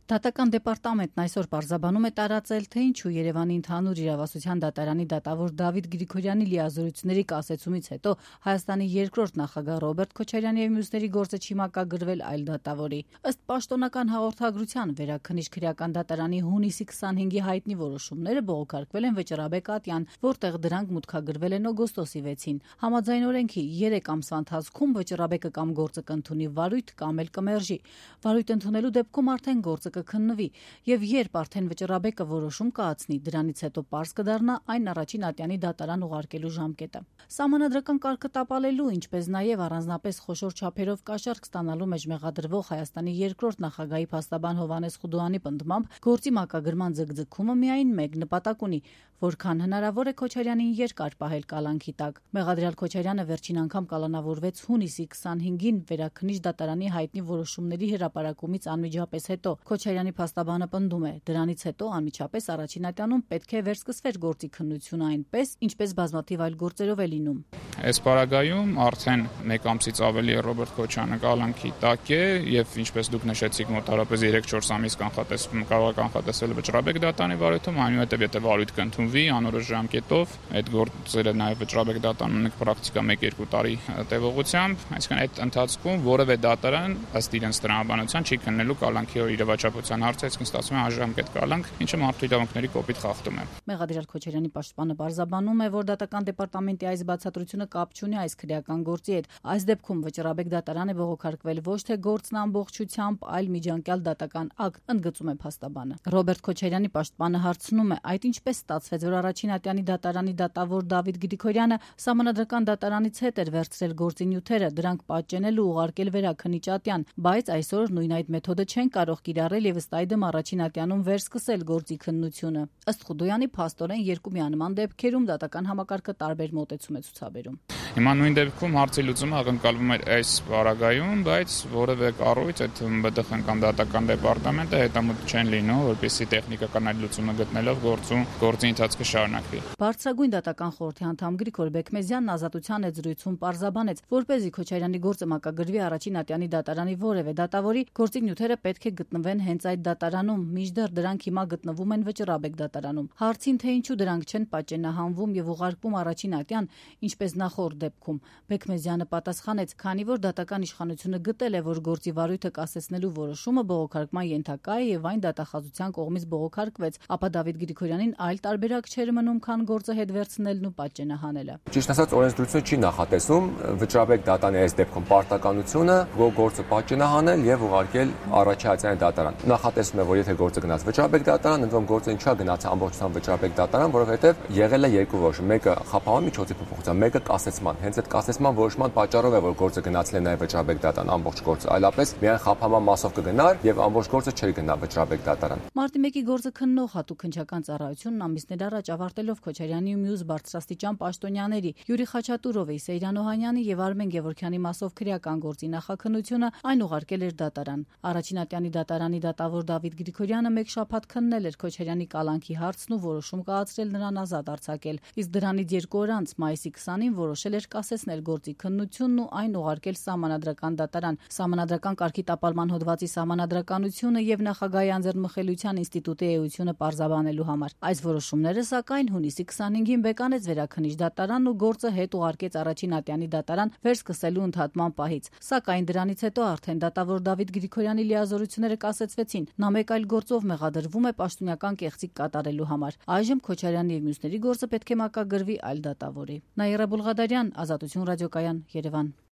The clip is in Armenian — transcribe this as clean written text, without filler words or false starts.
Դատական դեպարտամենտն այսօր պարզաբանում է տարածել, թե ինչու Երևանի ընդհանուր իրավասության դատարանի դատավոր Դավիթ Գրիգորյանի լիազորությունների կասեցումից հետո Հայաստանի երկրորդ նախագահ Ռոբերտ Քոչարյանի եւ մյուսների գործը չի մակագրվել այլ դատավորի։ Ըստ պաշտոնական հաղորդագրության, Վերաքննիչ քրեական դատարանի հունիսի 25-ի հայտնի որոշումները բողոքարկվել են Վճռաբեկ Ատյան, որտեղ դրանք մուտքագրվել են օգոստոսի 6-ին։ Համաձայն օրենքի 3 ամսվա ընթացքում Վճռաբեկը կամ գործը կընդունի վարույթ կամ էլ կմերժի։ Վարույթ ընդունելու դեպքում արդեն գործը կքննվի եւ երբ արդեն Վճռաբեկը որոշում կայացնի, դրանից հետո պարզ կդառնա այն առաջին ատյանի դատարան ուղարկելու ժամկետը։ Սահմանադրական կարգը տապալելու, ինչպես նաեւ առանձնապես խոշոր չափերով կաշառք ստանալու մեջ մեղադրվող Հայաստանի երկրորդ նախագահի փաստաբան Հովհաննես Խուդոյանի պնդմամբ գործի մակագրման ձգձգումը միայն մեկ նպատակ ունի, որքան հնարավոր է Քոչարյանին երկար պահել կալանքի տակ։ Մեղադրյալ Քոչարյանը վերջին անգամ կալանավորվեց հունիսի 25-ին Վերաքննիչ դատարանի հայտնի որոշումների հրապարակումից անմիջապես հետո։ Քոչարյանի փաստաբանը պնդում է, դրանից հետո անմիջապես առաջին ատյանում պետք է վերսկսվեր գործի քննությունը այնպես, ինչպես բազմաթիվ այլ գործերով է լինում։ Այս պարագայում արդեն 1 ամսից ավելի է Ռոբերտ Քոչարյանը կալանքի տակ է եւ ինչպես դուք նշեցիք, մոտավորապես 3-4 ամիս կարող է կանխատեսվել Վճռաբեկ դատարանի վարույթում, այնուհետեւ եթե վարույթ կընդունվի անորոշ ժամկետով, այդ գործերը նաեւ Վճռաբեկ դատարանում պրակտիկա 1-2 տարի տևողությամբ, այսինքն այդ ընթացքում որևէ դատարան ըստ իրենց տրամաբանության չի քննելու կալանքի իրավաչափության հարցը, այսինքն ստացվում է անժամկետ կալանք, ինչը մարդու իրավունքների կոպիտ խախտում է։ Մեղադրյալ Քոչարյանի պաշտպանը պարզաբանում է, որ դատական դեպարտամենտի այս բացատրությունը կապ չունի այս քրեական գործի հետ։ Այս դեպքում Վճռաբեկ դատարան է բողոքարկվել ոչ թե գործն ամբողջությամբ, այլ միջանկյալ դատական ակտ, ընդգծում է փաստաբանը։ Ռոբերտ Քոչարյանի պաշտպանը հարցնում է, այդ ինչպես ստացվեց, որ առաջին ատյանի դատարանի դատավոր Դավիթ Գրիգորյանը սահմանադրական դատարանից հետ էր վերցրել գործի նյութերը, դրանք պատճենել ու ուղարկել Վերաքննիչ ատյան, բայց այսօր նույն այդ մեթոդը չեն կարող կիրառել եւ ըստ այդմ առաջին ատյանում վերսկսել գործի քննությունը։ Ըստ Խուդոյանի փաստորեն երկու միանման դեպքերում դատական համակարգը տարբեր մոտեցում է ցուցաբերում։ Հիմա նույն դեպքում հարցի լուծումը ակնկալվում է այս պարագայում, բայց որևէ կառույց, այդ ԲԴԽ-ն կամ դատական դեպարտամենտը հետամուտ չեն լինում, որպեսզի տեխնիկական այդ լուծումը գտնելով գործի ընթացքը շարունակվի։ Բարձրագույն դատական խորհրդի անդամ Գրիգոր Բեկմեզյանն Ազատության այդ զրույցում պարզաբանեց, որպեսզի Քոչարյանի գործը մակագրվի առաջին ատյանի դատարանի որևէ դատավորի, գործի նյութերը պետք է գտնվեն հենց այդ դատարանում, մինչդեռ դրանք հիմա գտնվում են Վճռաբեկ դատարանում։ Հարցին, թե ինչու դրանք չեն պատճենահանվում եւ ուղարկվում առաջին ատյան, ինչպես նախորդ դեպքում, Բեկմեզյանը պատասխանեց, քանի որ դատական իշխանությունը գտել է, որ գործի վարույթը կասեցնելու որոշումը բողոքարկման ենթակա է եւ այն դատախազության կողմից բողոքարկվեց, ապա Դավիթ Գրիգորյանին այլ տարբերակ չէր մնում, քան գործը հետ վերցնելն ու պատճենահանելը։ Ճիշտ ասած, օրենսդրությունը չի նախատեսում Վճռաբեկ դատարանի այս դեպքում պարտականությունը, որ գործը պատճենահանել եւ ուղարկել առաջի ատյանի դատարան։ Նախատեսում է, որ եթե գործը գնաց Վճռաբեկ դատարան, ընդ որում գործը ինչու է գնաց ամբողջությամբ Վճռաբեկ դատարան, որովհետեւ եղել է երկու որոշում, մեկը խափանման միջոցի փոփոխության, մեկը կասեցման։ Հենց այդ կասեցման որոշման պատճառով է, որ գործը գնացել է նաեւ Վճռաբեկ դատարան ամբողջ գործը, այլապես միայն խափանման մասով կգնար եւ ամբողջ գործը չէր գնա Վճռաբեկ դատարան։ Մարտի 1-ի գործը քննող հատուկ քննչական ծառայությունն ամիսներ առաջ ավարտելով Քոչարյանի ու մյուս բարձրաստիճան պաշտոնյաների Յուրի Խաչատուրովի, Սեյրան Օհանյանի եւ Արմեն Գևորգյանի մասով քրեական գործի նախաքննությունը այն ուղարկել էր դատարան։ Առաջին ատյանի դատարանի դատավոր Դավիթ Գրիգորյանը մեկ շաբաթ քննել էր Քոչարյանի կալանքի հարցն ու որոշում կայացրել նրան ազատ արձակել։ Իսկ դրանից 2 օր անց մայիսի 20-ին որոշել էր կասեցնել գործի քննությունն ու այն ուղարկել Սահմանադրական դատարան։ Սահմանադրական կարգի տապալման հոդվածի սահմանադրականությունը եւ Նախագահի անձեռնմխելիության ինստիտուտի էությունը պարզաբանելու համար։ Այս որոշումները սակայն հունիսի 25-ին բեկանեց Վերաքննիչ դատարանն ու գործը հետ ուղարկեց առաջին ատյանի դատարան վերսկսելու ընդհատման պահից։ Սակայն դրանից հետո արդեն դատավոր Դավիթ Գրիգորյանի լիազորությունները կասեցվեցին։ Նա մեկ այլ գործով մեղադրվում է պաշտոնական կեղծիք կատարելու համար։ Այժմ Քոչարյանի եւ մյուսների գործը պետք է մակագրվի այլ դատավորի։ Նաիրա Բուլղադարյան, Ազատություն ռադիոկայան, Երևան։